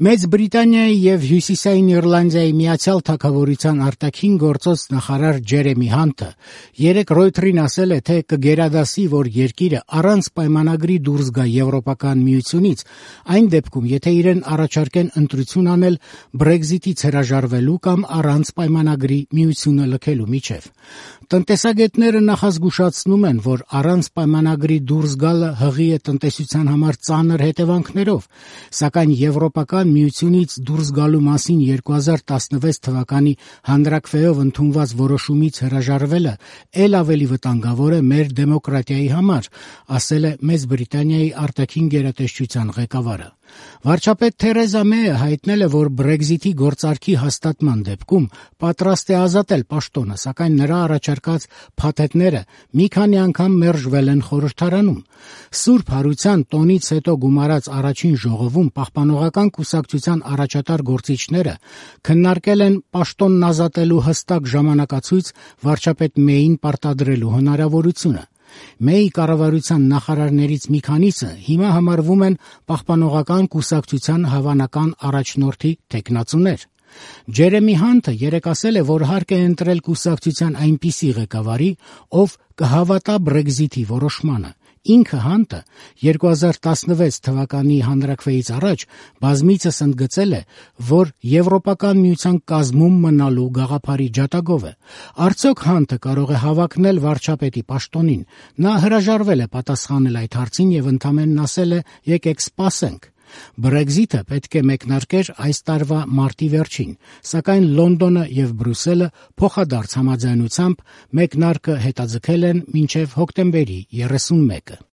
Մեծ Բրիտանիայի եւ Հյուսիսային Իռլանդիայի Միացյալ Թագավորության արտաքին գործոց նախարար Ջերեմի Հանթը երեկ Ռոյթերին ասել է, թե կգերադասի, որ երկիրը առանց պայմանագրի դուրս գա Եվրոպական միությունից, այն դեպքում, եթե իրեն առաջարկեն ընտրություն անել Brexit-ից հրաժարվելու կամ առանց պայմանագրի միությունը լքելու միջև։ Տնտեսագետները նախազգուշացնում են, որ առանց պայմանագրի դուրս գալը հղի է տնտեսության համար ծանր հետևանքներով, սակայն Եվրոպական միությունից դուրս գալու մասին 2016 թվականի հանրաքվեով ընդունված որոշումից հրաժարվելը ել ավելի վտանգավոր է մեր դեմոկրատիայի համար, ասել է Մեծ Բրիտանիայի արտաքին գերատեսչության ղեկավարը։ Վարչապետ Թերեզա Մեյը հայտնել է, որ Brexit-ի գործարքի հաստատման դեպքում պատրաստ է ազատել պաշտոնը, սակայն նրա առաջարկած փաթեթները մի քանի անգամ մերժվել են խորհրդարանում։ Սուրբ Հարության տոնից հետո գումարած առաջին ժողովում պահպանողական կուսակցության առաջատար գործիչները քննարկել են պաշտոնն ազատելու հստակ ժամանակացույց վարչապետ Մեյին պարտադրելու հնարավորությունը։ Մեյի կառավարության նախարարներից մի քանիսը հիմա համարվում են պահպանողական կուսակցության հավանական առաջնորդի թեկնածուներ։ Ջերեմի Հանթը երեկ ասել է, որ հարկ է ընտրել կուսակցության այնպիսի ղեկավարի, ով կհավատա Brexit-ի որոշմանը։ Ինքը Հանթը 2016 թվականի հանրաքվեից առաջ բազմիցս ընդգծել է, որ Եվրոպական միության կազմում մնալու գաղափարի ջատագով է։ Արդյոք Հանթը կարող է հավակնել վարչապետի պաշտոնին։ Նա հրաժարվել է պատասխանել այդ հարցին եւ ընդամենն ասել է՝ եկեք սպասենք։ Brexit-ը պետք է մեկնարկեր այս տարվա մարտի վերջին, սակայն Լոնդոնը եւ Բրյուսելը փոխադարձ համաձայնությամբ մեկնարկը հետաձգել են մինչեւ հոկտեմբերի 31-ը։